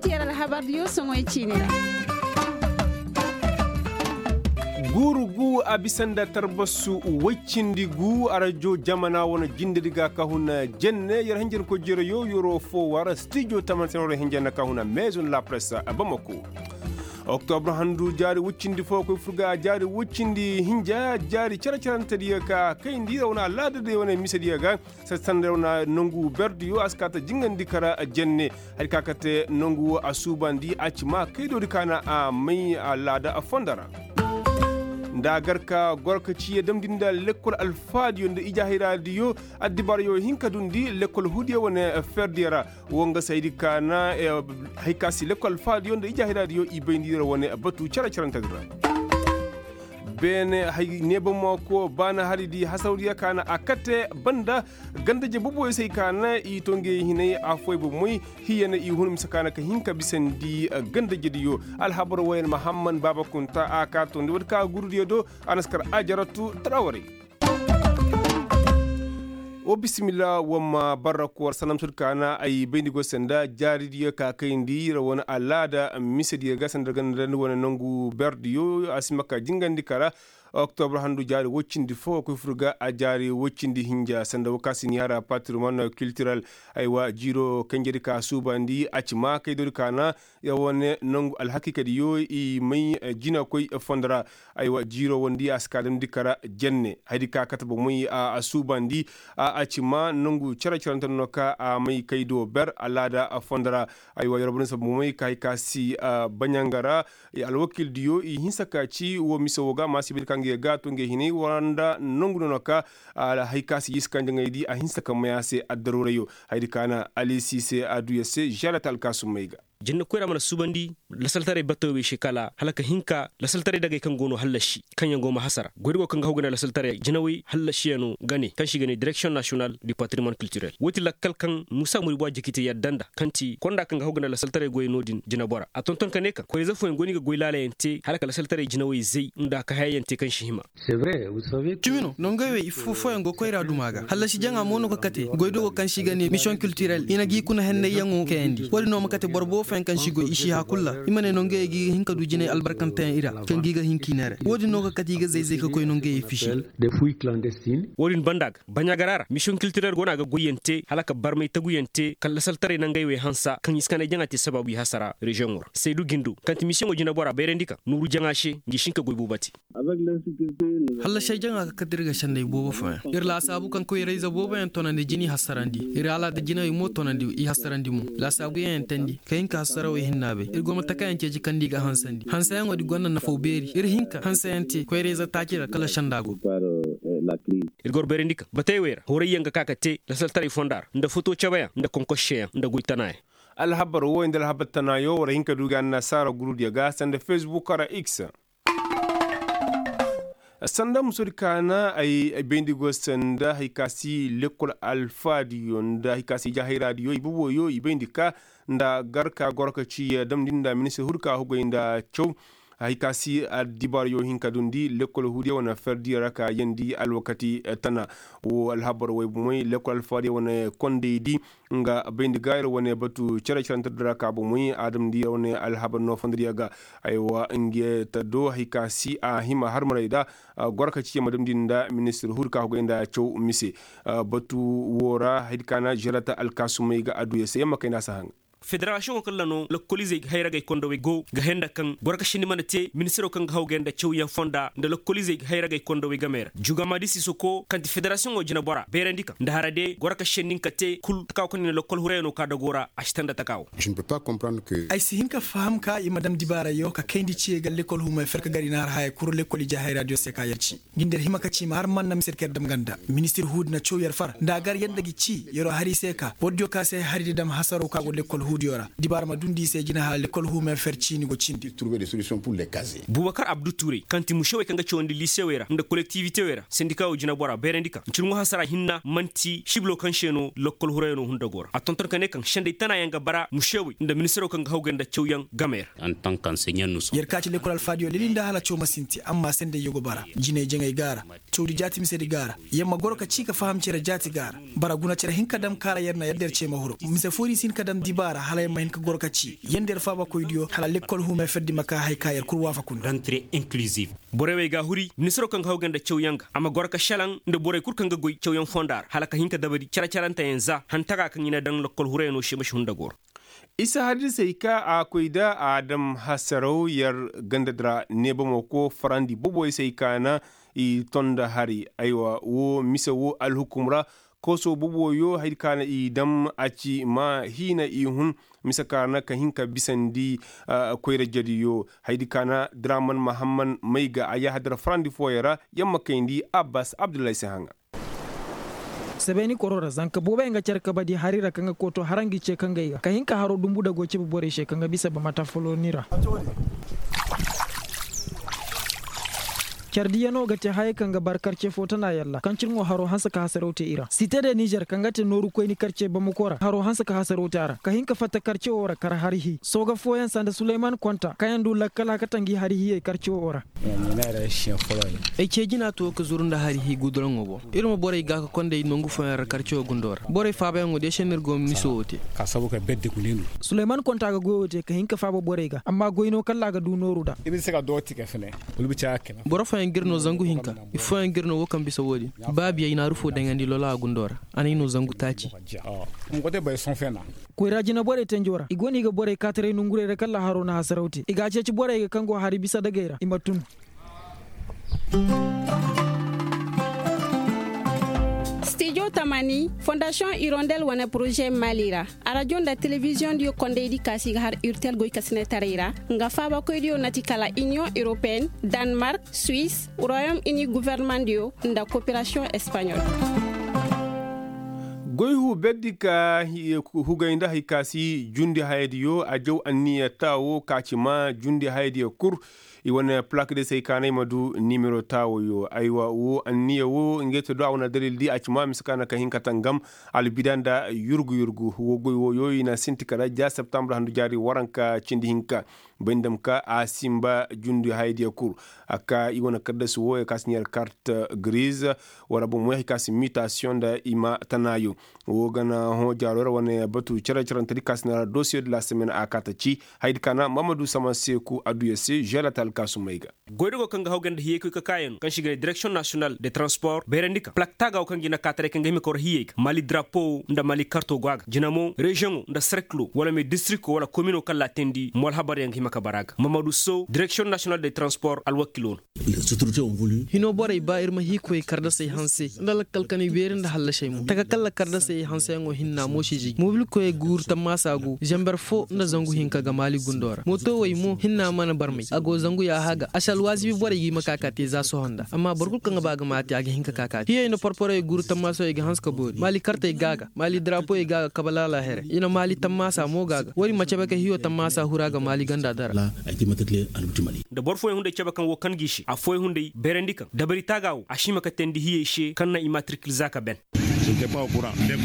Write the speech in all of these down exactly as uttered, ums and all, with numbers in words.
Yer alhabardiyo soŋoy ciini ra. Guuru gu a bisa nda tarbasu woy cindi gu arajo jamana wane jindedi ga ka huna jenne yer hinjankoy jereyo yeroo foo war stijo tamanse no ra hinjanna ka huna maison la presse. Bamako. Oktobra handu jaari woy cindi fo koy fur ga a jaari woy cindi hinja jaari cere-cerentediyo ka kayndi ra wane alaadadiyo wane misediyo ga. Sanda yer wane nongu berdiyo a si kaa ta jingandi kara jenne. Hari ka kate nongu wo a suubandi a ci maa kaydoodi ka na a may a laada fondo ra. Nda a gar ka goro ka ci ya damndi nda lekkol alfaadiyo nda ijaahiraadiyo. Addibaarayo hin ka dundi lekkol huudiyo wane ferdiyo ra. Wo nga saydi ka na hari ka si lekkol alfaadiyo nda ijaahiraadiyo i bayndi ra wane batu cere-cerentedi ra. Beene hay neebamako baana hari di hasawdiya ka na a kate banda. Ganda je boboyo se i ka na i to ngey hinay afooy bomoy. Hiya na i hun mise ka na ka hin ka bisandi ganda jediyo. Alhabar woyen mahamman baaba kunta a ka tondi woodi ka gurudiyo do. A na si kar ajaratu tarawarey. Wo bisimilla wamma barra koor sanam sud ka na ay bayndi go sanda jaaridiyo ka kayndi ra wane alaada misediyo ga sanda ganda wane nangu berdiyo a si ma ka jingandi kara. Oktobra handu jaari woy cindi fo koy fur ga a jaari woy cindi hinja sanda wo ka si ni hara patrimoine culturel. Aywa jiiro kanjedi ka suubandi a ci maa kaydoodi ka na. Wane nangu alhakiikadiyo i may jinakoy fondo ra. Aywa jiiro wondi a si ka damndi kara jenne haydi ka kate bomey a suubandi. A ci maa nangu cere-cerante no ka a may kaydo ber alaada fondo ra. Aywa yer wo boro ni saba bomey ka hay ka si baɲanga ra. Alwakiildiyo i hinsa ka ci wo mise wo ga maasibedi ka nga ye ga to nga ye hinay wara nda nangu no no ka. Hay ka si yisi kanjaŋaydi a hinsa ka may a se addaruurayo. Haydi ka na alisi se a du yer se žalata alkaasumey ga. Jinne koyra mana suubandi lasaltaray batawey se kala hala ka hin ka lasaltaray dagey kaŋ go no hallasi kaŋyaŋ go ma hasara goyda go kaŋ ga haw ga ne lasaltaray jinawey hallasiyano ga ne kaŋ se i ga ne direksiyoŋ nasiyonal du patrimoine kiltirel wo- ti lakkal kaŋ muusa muribu a jiki te yadda nda kaŋ ti konda kaŋ ga haw ga ne lasaltaray goyey no- din jinabora a tonton ka ne kaŋ koyra ize fooyaŋ go no i ga goy laalayaŋ te hala ka lasaltaray jinawey zay nda ka hayayaŋ te kaŋ si hima. Cimi no nongey wey ifo fooyaŋ go koyra duma ga hallasi jaŋa mo no ga kate goydogo kaŋ se i ga ne misiyoŋ kiltirel i na ga i kuna hennayyaŋo kayandi wo- din no ma kate boro boobo fooyaŋ kaŋ se i goy i si hã kulu ra i ma ne nongey ga i ga hin ka du jinay albarkanteyaŋ i ra kaŋ ga i ga hin ka i neere wo- din no ga kate i ga zay-zay ka koy nongey fisi. Wo- din banda ga baɲagara ra misiyoŋ kiltirel go no a ga goyyaŋ te hala ka barmay taguyaŋ te kala lasaltaray nangey wey hansa kaŋ i si kanay jaŋa te sabaabu i hasara reziyoŋo ra saydu gindo kaŋ ti misiyoŋo jinabora bayrandi kaŋ nuuru jaŋa se ngi si hin ka goy boobo te. Hallasey jaŋa ga kate ir ga senday boobo fooyaŋ ir laasaabu kaŋ koyra-ize booboyaŋ tonandi jina i hasarandi ir alaada jinawey mo tonandi i hasarandi mo laasaabuyaŋ yaŋ teendi ka hin ka hasarawey hinna bay ir go ma takayaŋ ceeci kaŋ nda i ga hansandi hanseyaŋo di gonda nafaw beeri ir hin ka hanseyaŋ te koyra-ize taaci ra kala senda go. Ir ga war bayrandi kaŋ batey wey ra horayyaŋ ga ka ka te lasaltaray fonda ra nda foto cabeyaŋ nda konkoseyaŋ nda goy tanaayaŋ. Alhabar wooyo nda alhabar tanaayo war hin ka du ga annasaara gurudiyo ga sanda fesbuk ra x. Sanda musodi kaana ay bayndi go sanda hari ka si lekkol alfaadiyo nda hari ka si ijahayraadiyo iboboyo i bayndi ka nda gar ka goro ka ci damndi nda ministir huudi ka hugay nda caw. Hari ka si addibaarayo hin ka dundi lekkol huudiyo wane ferdiyo ra ka yeendi alwakati tana. Wo alhabar way bomey lekkol alfaadiyo wane kondaydi nga bayndi ga ir wane batu cere-cerante dira ka bomey a damndi ir wane alhabar no fondiriya ga. Aywa nga ta do hari ka si a hima harmarey da goro ka ci yamma damndi nda ministir huudi ka hugay nda caw mise. Batu wo ra hari ka na žerata alkaasumey ga a du ya se yamma kayna si haŋ. Federasiyoŋo kaŋ ra no lakkoliizey hayragey kondowey go ga henda kaŋ goro ka sindi mana te ministiro kaŋ ga haw ga nda cawyaŋ fonda nda lakkoliizey hayragey kondowey gamey ra juga maadisi soko kaŋ ti federasiyoŋo jinabora bayrandi kaŋ nda hara de goro ka sindi nga ka te kul taka wo kaŋ ni na lakkol hurayano ka dago ra a si tanda taka wo. Ay si hin ka faham ka i ma dam dibaarayo ka kayndi ciye ga lekkol humay ferka gari na har haya kuru lekkol ije hayra diyo se ka yer ci. Ngi nda yer hima ka ci ma har man na mise yer ka yer dam ganda ministir huudi na caw yer far nda a gar yer nda gi ci yeroo har i se ka bordiyo ka se hari di dam hasaroo ka go lekkol huudiyo ra dibaara ma dundi i se jina hala lekkol huumay fer ciini go cindi. Buubakar abdu tuurey kaŋ ti musewey kaŋ ga cawandi liisewey ra nda kolektiibitewey ra sendikawey jinabora bayrandi ka ncirŋo hasara hinna man'ti sibilo kaŋ se no lekkol hurayano hundago ra a tonton ka ne kaŋ sendey tana yaŋ ga bara musewey nda ministiro kaŋ ga hawgay nda cawyaŋ gamey ra. Yer ka ci lekkol alfaadiyo lili nda hala caw ma sinti amma sendey yogo bara jinay jaŋay gaara. Cawdi jaati misedi gaara yer ma goro ka ci ka faham cere jaati gaara. Bara guna cere hinka dam kaara yer na yer der cee ma huru mise fooyaŋ si hin ka dam dibaara. Hala yer ma hin ka goro ka ci yanda yer faabakoydiyo hala lekkol huumay ferdi ma ka haya ka yer kul waafaku nda. Borey wey ga a huri ministiroo kaŋ ga haw ga nda cawyaŋ ga a ma goro ka šelaŋ nda borey kul kaŋ ga goy cawyaŋ fonda ra hala ka hin ka dabari cere-ceranteyaŋ za hantaga kaŋ i na daŋ lekkol hurayanoo se ma si hunda goro. Isa hadisey ka a koy da a dam hasaraw yer ganda di ra neebamo ko farandi boboy se ay ka na i ton nda hari. Aywa woo mise woo alhukum ra kooso boboyo haydi ka na i dam a ci ma hiina i hun mise ka na ka hin ka bisandi. Koyra jadiyo haydi ka na draman mahamman may ga a yahadar farandi fooyaŋ ra yamma kayndi abbas abdullahi se haŋa. Sabeeni koroo ra zanka booboyaŋ ga care kabadi hari ra kaŋ ga kooto hara ngi ce kaŋ ga ay ga ka hin ka haroo dumbu dagoo cebe borey se kaŋ ga bisa bamata foloni ra. Care diyanoo ga te hayey kaŋ ga bar karce foo tana yalla kaŋ cirŋoo haroo hanse ka hasaraw te i ra site de nizer kaŋ ga te nooru koyni karce bamako ra haroo hanse ka hasaraw te a ra ka hin ka fatta karce woo ra kar hari hii sooga fooyaŋ sanda suleyman konta kaŋ yaŋ du lakkal a kate ngi hari hiyey karce woo ra. Ay cee jina to ka zuru nda hari hii guduraŋo boŋ. Ir ma borey ga ka konday nongu fooyaŋ ra karce woo gundoo ra borey faabayaŋo de se no ir go ma miso woo te. Suleyman konta ga goyoo te ka hin ka faaba borey ga amma goy no kalla a ga du nooru nda. Boro fooyaŋ ga ir no zangu hinka. Ifooyaŋ ga ir no woo kaŋ bisa woo din. Baabiyey naaru foo daŋandi lolaa gundoo ra. A n'ay no zangu taaci. Koyra jinaborey tenjoo ra i go no i ga borey kaataray nongurey ra kalla haroo na hasaraw te i ga a ceeci borey ga kaŋ go hari bisa dagey ra i ma tun. Stijo tamani fondasiyoŋ irondel wane poroze maali ra. Arajo nda telebiziyoŋ diyo kondaydi kaasi ga har irtel goykasinetaray ra. Nga faabakoydiyo na ti kala iniyoŋ europeen, danmark, suwis, royom ini guvernemandiyo nda koperasiyoŋ espaɲol. Goy hu berdi ka hugay nda hay ka si jundi hayadiyo a jaw anniya taawo ka ci ma jundi hayadiyo kul. I wane plak de se ay kaanay ma du nimero taawoyo aywa wo anniya wo ngey te do a wane dalil di a ci ma mise ka na ka hin ka tangam. Albida nda yurgu yurgu wo goy woyo i na sinti kala ja septembre handu jaari waranka cindi hinka. Bay nda ma ka a simba jundi hayadiya kul. A ka i wane kaddasi wo ya ka si ɲar kart grise wala boŋ mo ya hay ka si mitasiyoŋ nda i ma tanaayo. Wo ga na hõ jaaro ra wane batu care carante di ka si na ra dosiyo de la semaine a kaata ci. Haydi ka na mamadu sama seeku adduya se želata alkaasumey ga. Goydogo kaŋ ga haw ga nda hiyey koy ka kaayaŋ kaŋ se i ga ne direksiyoŋ nasiyonal de transpor bayrandi kaŋ plak taaga wo kaŋ ga i na kaataray kaŋ ga hima ka war hiyey ga maali darapo nda maali karto go a ga jina mo reziyoŋo nda serkilo wala me distrikto wala komino kaŋ laatindi mo alhabaryaŋ ga hima ka bara ga mamadu so direksiyoŋ nasiyonal de transpor alwakilo no. Hinoo borey ba ir ma hii koy kardasey hanse nda lakkal kanay beeri nda hallasey mo taka kalla kardasey hanseyaŋo hinna moosizey mobilkoyey guuru tammaasa go zamber fo nda zangu hinka ga maali gundoo ra mootowey mo hinna mana barmey a go zangu yaaha ga a si alwaazibi borey ga i ma ka ka te za sohõ nda amma boro kul kaŋ ga ba ga maati a ga hin ka ka ka te hiyey nda porporey guuru tammaasawey ga hanse ka boori maali kartey ga a ga maali darapoyey ga a ga kabalaala here i na maali tammaasa mo ga a ga woodin ma cabe ka hiyo tammaasa hura ga maali ganda dara. Nda boro fooyaŋ hunday cabe kaŋ wo kan g'i se affooyaŋ hunday bayrandi kaŋ dabari taaga wo a si hima ka teendi hiyey se kaŋ na i maatirkil za ka ben.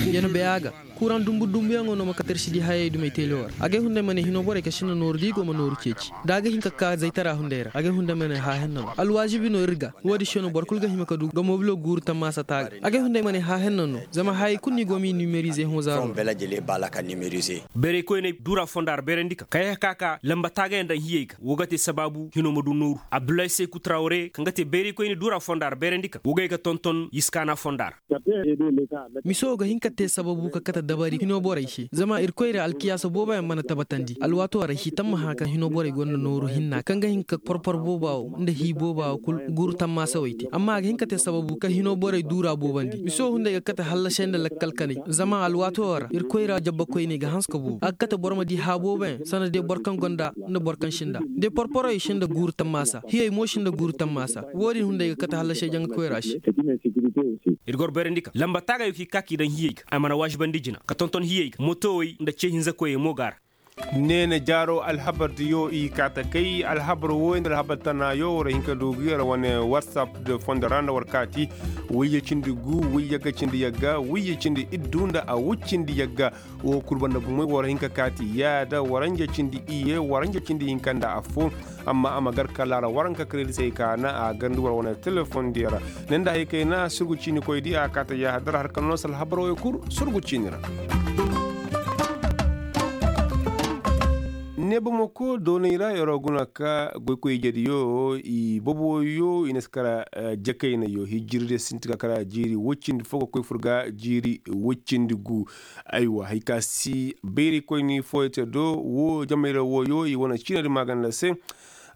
Yer na bay a ga kuraŋ dumbu dumbuyaŋo no ma kate ir si di hayey dumey teelewoo ra agay hunday ma ne hinoo borey ka sinda nooru da i go ma nooru ceeci da a ga hin ka ka zaytara hunday ra agay hunday ma ne haahenna no alwaazibi no ir ga. Woodin se no boro kul ga hima ka du ga mobilo guuru tammaasa taaga agay hunday ma ne haahenna no zama hayey kul no i go m'i nimerize hõ zaaro. Bayraykoyney duura fonda ra bayrandi kaŋ kay ka ka ka lamba taagayaŋ daŋ hiyey ga wo ga te sabaabu hinoo ma du nooru abdullahi seeku tarawre kaŋ ga te bayraykoyne duura fonda ra bayrandi kaŋ wo ga ye ga tonton yiskaana fonda ra. Miso ga hin ka te sababu ka kate dabari hinoo borey se zama irkoy ra alkiyaasa booboyaŋ mana tabatandi alwaatoo ra hii tammaha kaŋ hinoo borey gonda nooru hinna kaŋ ga hin ka porpor booba wo nda hii booba wo kul guuru tammaasawey te amma a ga hin ka te sababu kaŋ hinoo borey duura boobandi miso hunday ga kate hallasey nda lakkal kanay zama alwaatoo ra irkoy ra jabbakoyney ga hanse ka boobo a ga kate boro ma di haa booboyaŋ sanda day boro kaŋ gonda nda boro kaŋ sinda day porporoy sinda guuru tammaasa hiyey mo sinda guuru tammaasa wo-din hunday ga kate hallasey janga koyra se. Ir goro bayrandi kaŋ lamba taagayoo kaŋ i ka k'i daŋ hiyey ga a mana waazibandi jina ka tonton hiyey ga mootowey nda ce hinzakoyey mo go a ra. Neene jaaro alhabar diyo i kaata kay alhabar wooyo nda alhabar tanaayoo war hin ka du ga yer wane whatsapp de fondo ra nda war kaati wayye cindi gu wayye ga cindi yagga wayye cindi iddu nda a wuccindi yagga. Wo kul banda bumey war hin ka kaati yaada waranja cindi iyye waranja cindi hinka nda affoo. Amma a ma gar ka laara waranka kredisey ka na a garndi war wane telefoŋ diyo ra. Ne nda hay kayna surgu ciinikoy di a kaata yaahadar har ka noosal habarooyo kul surgu ciini ra. Ne bamako doonay ra yeroo guna ka goykoy ijediyo i boboyo i na si kara jakaynayo hijiri de sinti ka kara jiiri woy cindi fo ga koy fur ga jiiri woy cindi gu. Aywa hari ka si bayraykoyni fooyey te do wo jamayra wooyo i wane ciinadi maaganda se.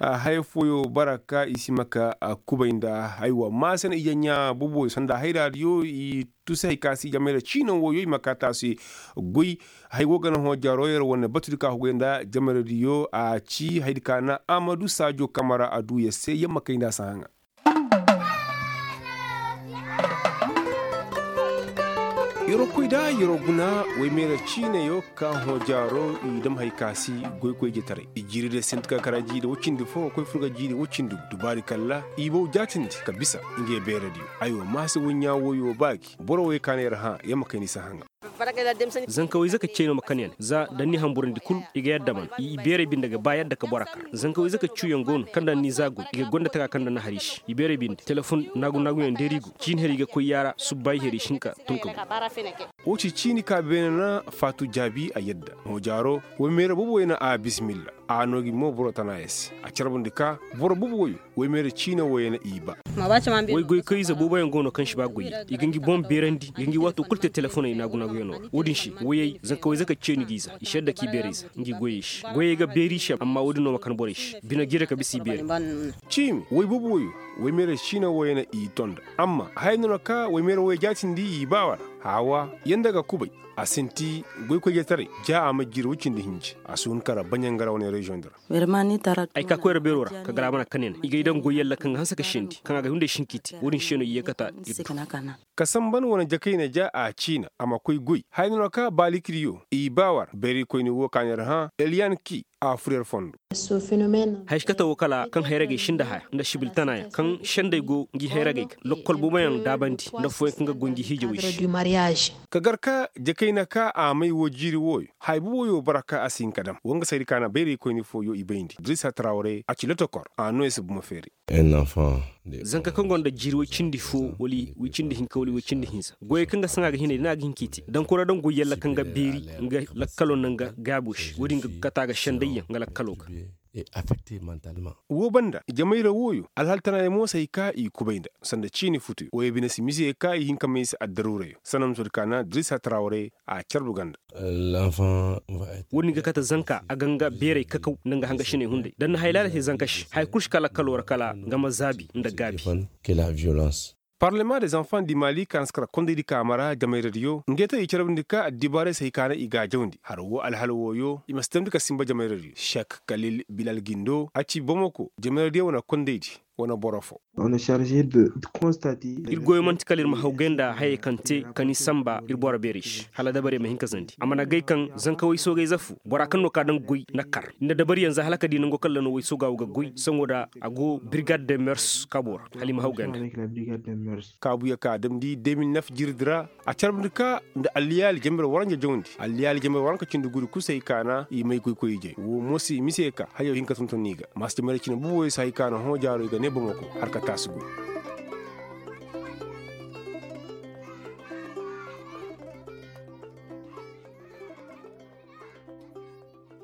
Haya fooyo bara ka i si ma ka kubay nda aywa maase na ije ɲaa boboyo sanda hayraadiyo i tusi hari ka si jamayra ciina wooyo i ma ka taasi. Goy hari wo ga na hõ jaaro yer wane batudi ka hugay nda jamaradiyo a ci haydi ka na amadu saajo kamara a du yer se yer ma kay nda a si haŋa. Yeroo koy da yeroo guna woy meera ciinayo ka hõ jaaro i dam hari ka si goykoy jetaray i jiiri de sinti ka kara jiiri woy cindi fo koy fur ga jiiri woy cindi gu dubaari kalla i bow jaatindi ka bisa. Ngey beeradiyo aywa maase woy ɲaa wooyo ba gi boro woy ka na yer hã yer ma kay ni si haŋa. Zankawayze ka cey no ma kan yaŋ za da ni hamburandi kul i ga yadda man i beeray binde ga ba yadda ka bora kar zankawayze ka cuuyaŋ go no kaŋ da ni za goy i ga gonda taga kaŋ da ni har i se i beeray binde telefon naagu naaguyaŋ deeri go ciini har i ga koy yaara subba i har i se hinka tun ka go. Wo ci ciini ka beene na faatu jaabi a yadda hõ jaaro. Woy meera boobo way na a bismilla a noo gi mo boro tana ya se a carbundi ka boro boobo wayo woy meera ciina wayey na i ba. Woy goykoyze booboyaŋ go no kaŋ si ba goyey i ga ngi boŋ beerandi i ga ngi waato kul te telefoney naagu-naaguyaŋo ra wo-din se woyey zankawayze ka ceeni gi i za i si yadda k'i beerey za ngi goyey se goyey ga beeri i se amma wo-din no ma kan borey se bine jire ka bisa i beerey. Ciimi woy boobo wayo woy meera ciina wayey na i tonda amma haya no na ka woy meera wayey jaatindi i ba wara haawa yanda ga kubay a sinti goykoyjetaray ja a ma jiri woy cindi hinji a si hun kara baɲangara wane reziyoŋ di ra. Ay ka koyra beero ra ka gar a mana kanena i gay daŋ goy yalla kaŋ ga hanse ka sendi kaŋ a ga hunday sinkiti wo-din se no i ye kata. Ka samban wane jakayna ja a ciina a ma koy goy haya no na ka baalikidiyo i ba war beeraykoyni wo ka neera hã eliyan ki a fur yer fondo. Haya si kate wo kala kaŋ hayragey sinda haya nda sibil tanayaŋ kaŋ senday go ngi hayragey ga lokkol booboyaŋ daabandi nda affooyaŋ kaŋ ga goy ngi hiijawey se. Ka gar ka jakayna ka a may woo jiiri wooyo haya booboyo bara ka a si hin ka dam wa nga saydi ka na bayraykoyni fooyo i bayndi dirisa tarawre a ci lotokor a noo ya si buma feeri. Zanka kaŋ gonda jiiri woy cindi foo wala woy cindi hinka wala woy cindi hinza goyey kaŋ ga saŋa ga hinay da ni a ga hin k'i te dankura daŋ goy yalla kaŋ ga beeri nga lakkalo nda nga gaabo se wo-din ga kata ga sendayyaŋ nga lakkalo ga. Woo banda jamayra wooyo alhal tanayaŋ mo si hay ka i kubay nda sanda ciini futuyo wooyo bine si mise ka i hin ka may se addaruurayo sanamsodi ka na dirisa tarawre a carbu ganda. Wo-din ga kate zanka a ga nga beeray kakaw nda nga hangasiney hunday da ni na hay laala te zanka se haya kul si ka lakkalo ra kala nga ma zaabi nda gaabi. Parlema de zanfan di mali ka na si kara kondaydi ka mara jamayradiyo ngey te i carbundi ka addibaaray se hay ka na i gaajawndi har woo alhala wooyo i ma si damndi ka sinba jamayradiyo sek kalil bilal gindo a ci bomoko jamayradiyo wane kondaydi wane boro fo. Ir goyo man'ti kala ir ma hawgay nda hayey kaŋ te ka ni sanba ir boro beerey se hala dabarey ma hin ka zandi a mana gay kaŋ zanka waysoogayze foo bora kaŋ no ka daŋ goy na kar nda dabariyaŋ za hala ka di nango kaŋ ra no waysooga wo ga goy saŋo da a go birgad de mers kaabo ra hala i ma hawgay nda. Kaabuya ka damndi de mil nef jirdi ra a carbundi ka nda alliyaali jamber waranja jawndi alliyaali jamber waranka cindi guri kusay ka na i may goykoy ijey woo mo si mise ka hayo hin ka tonton i ga maasi jamber cine buboyo si hay ka na hõ jaaro i ga ne bomo ko har ka taasi guri.